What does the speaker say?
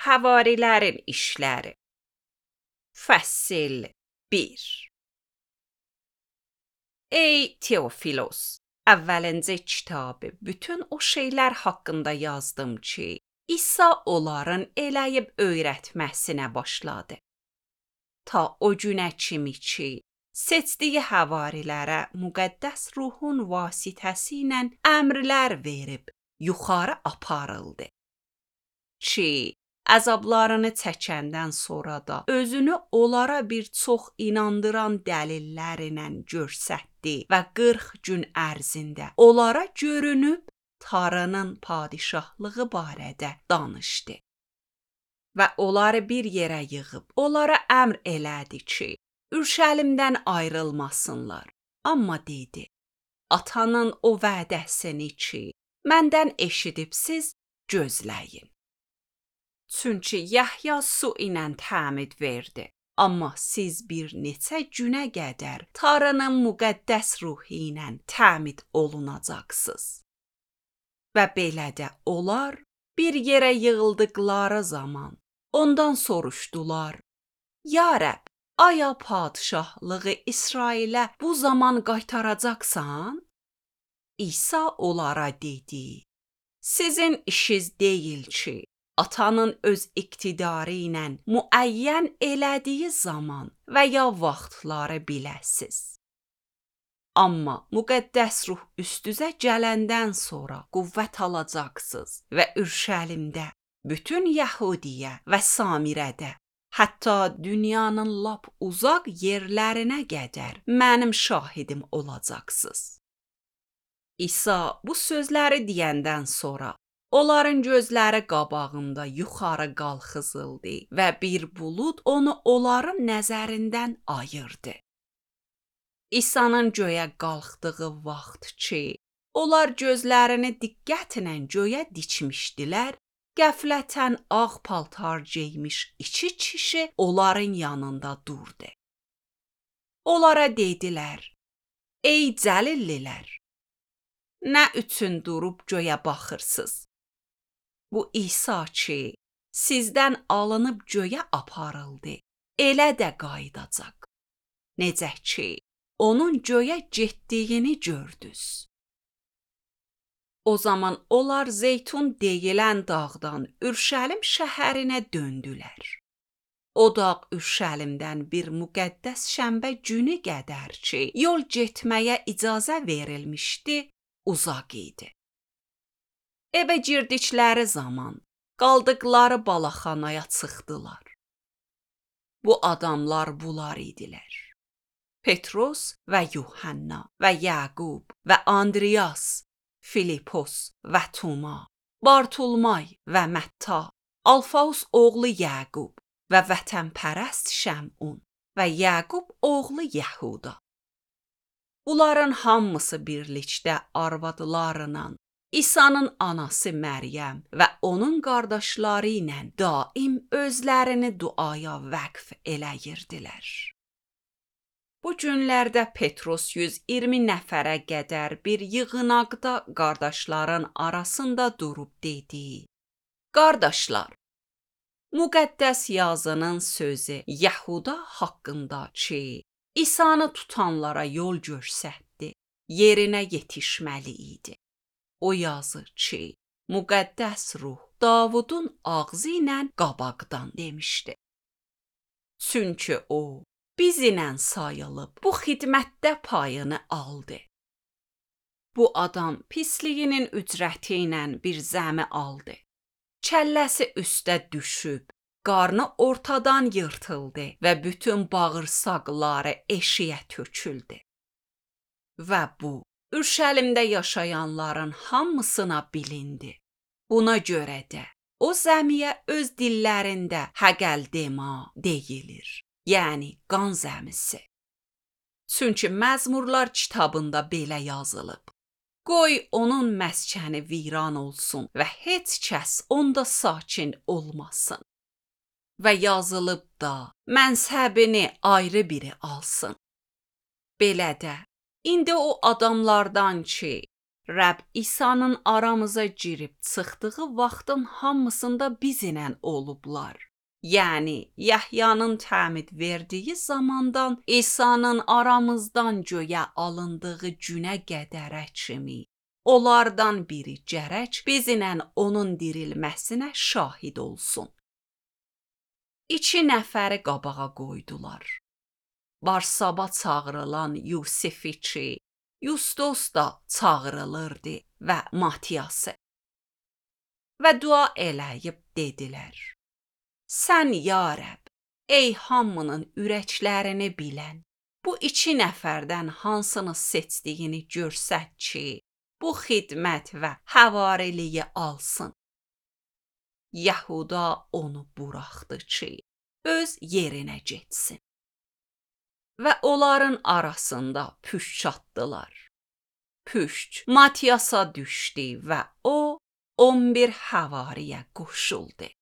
Həvarilərin işləri. Fəsil 1. Ey Teofilos, əvvəlincə kitabı bütün o şeylər haqqında yazdım ki, İsa onların eləyib öyrətməsinə başladı. Ta o günə kimi ki, seçdiyi həvarilərə müqəddəs ruhun vasitəsilə əmrlər verib yuxarı aparıldı. Ki, əzablarını çəkəndən sonra da özünü onlara bir çox inandıran dəlillərlə göstərdi və 40 gün ərzində onlara görünüb Tanrının padişahlığı barədə danışdı. Və onları bir yerə yığıb onlara əmr elədi ki, Ürşəlimdən ayrılmasınlar. Amma dedi, Atanın o vədəsini ki, məndən eşidibsiz, gözləyin. Çünki Yahya su ilə təmid verdi. Amma siz bir neçə günə qədər Tanrının müqəddəs ruhu ilə təmid olunacaqsınız. Və belə də onlar bir yerə yığıldıqları zaman ondan soruşdular, Ya Rəbb, aya padişahlığı İsrailə bu zaman qaytaracaqsan? İsa onlara dedi, sizin işiniz deyil ki, Atanın öz iqtidarı ilə müəyyən elədiyi zaman və ya vaxtları biləsiz. Amma müqəddəs ruh üstünüzə gələndən sonra qüvvət alacaqsınız və Ürşəlimdə, bütün Yəhudiyə və Samirədə, hətta dünyanın lap uzaq yerlərinə qədər mənim şahidim olacaqsınız. İsa bu sözləri deyəndən sonra onların gözləri qabağında yuxarı qalxızıldı və bir bulud onu onların nəzərindən ayırdı. İsa'nın göyə qalxdığı vaxt ki, onlar gözlərini diqqətlə göyə dikmişdilər, qəflətən ağ paltar geymiş iki kişi onların yanında durdu. Onlara dedilər, ey Cəlillilər, nə üçün durub göyə baxırsınız? Bu İsa ki, sizdən alınıb göyə aparıldı, elə də qayıdacaq. Necə ki, onun göyə getdiyini gördünüz. O zaman onlar Zeytun deyilən dağdan Ürşəlim şəhərinə döndülər. O dağ Ürşəlimdən bir müqəddəs şənbə günü qədər ki, yol getməyə icazə verilmişdi, uzaq idi. Evə girdikləri zaman qaldıqları balaxanaya çıxdılar. Bu adamlar bunlar idilər. Petros və Yuhanna və Yaqub və Andriyas, Filipos və Toma, Bartolmay və Mətta, Alfaus oğlu Yaqub və vətənpərəst Şəmun və Yaqub oğlu Yəhuda. Bunların hamısı birlikdə arvadlarla, İsa'nın anası Məryəm və onun qardaşları ilə daim özlərini duaya vəqf eləyirdilər. Bu günlərdə Petros 120 nəfərə qədər bir yığınaqda qardaşların arasında durub dedi, Qardaşlar, müqəddəs yazının sözü Yəhuda haqqında ki, İsa'nı tutanlara yol göstərdi, yerinə yetişməli idi. O yazır ki, müqəddəs ruh Davudun ağzı ilə qabaqdan demişdi. Çünki o, bizlə sayılıb bu xidmətdə payını aldı. Bu adam pisliyinin ücrəti ilə bir zəmi aldı. Kəlləsi üstə düşüb, qarnı ortadan yırtıldı və bütün bağırsaqları eşiyə töküldü. Və bu, Ürşəlimdə yaşayanların hamısına bilindi. Buna görə də o zəmiyə öz dillərində Həqəldema deyilir, yəni qan zəmisi. Çünki Məzmurlar kitabında belə yazılıb. Qoy onun məskəni viran olsun və heç kəs onda sakin olmasın. Və yazılıb da mənsəbini ayrı biri alsın. Belə də, İndi o adamlardan ki, Rəbb İsa'nın aramıza girib çıxdığı vaxtın hamısında bizlə olublar. Yəni, Yəhyanın təmid verdiyi zamandan İsa'nın aramızdan göyə alındığı günə qədərə kimi. Onlardan biri gərək bizlə onun dirilməsinə şahid olsun. 2 nəfəri qabağa qoydular. Barsaba çağırılan Yusifiçi, Yustos da çağırılırdı və Matiyası. Və dua eləyib dedilər: Sən, ya Rəbb, ey hamının ürəklərini bilən, bu 2 nəfərdən hansını seçdiyini görsət ki, bu xidmət və həvariliyi alsın. Yəhuda onu buraxdı ki, öz yerinə getsin. Və onların arasında püşk atdılar. Püşk Matiyasa düşdü və o 11 həvariyə qoşuldu.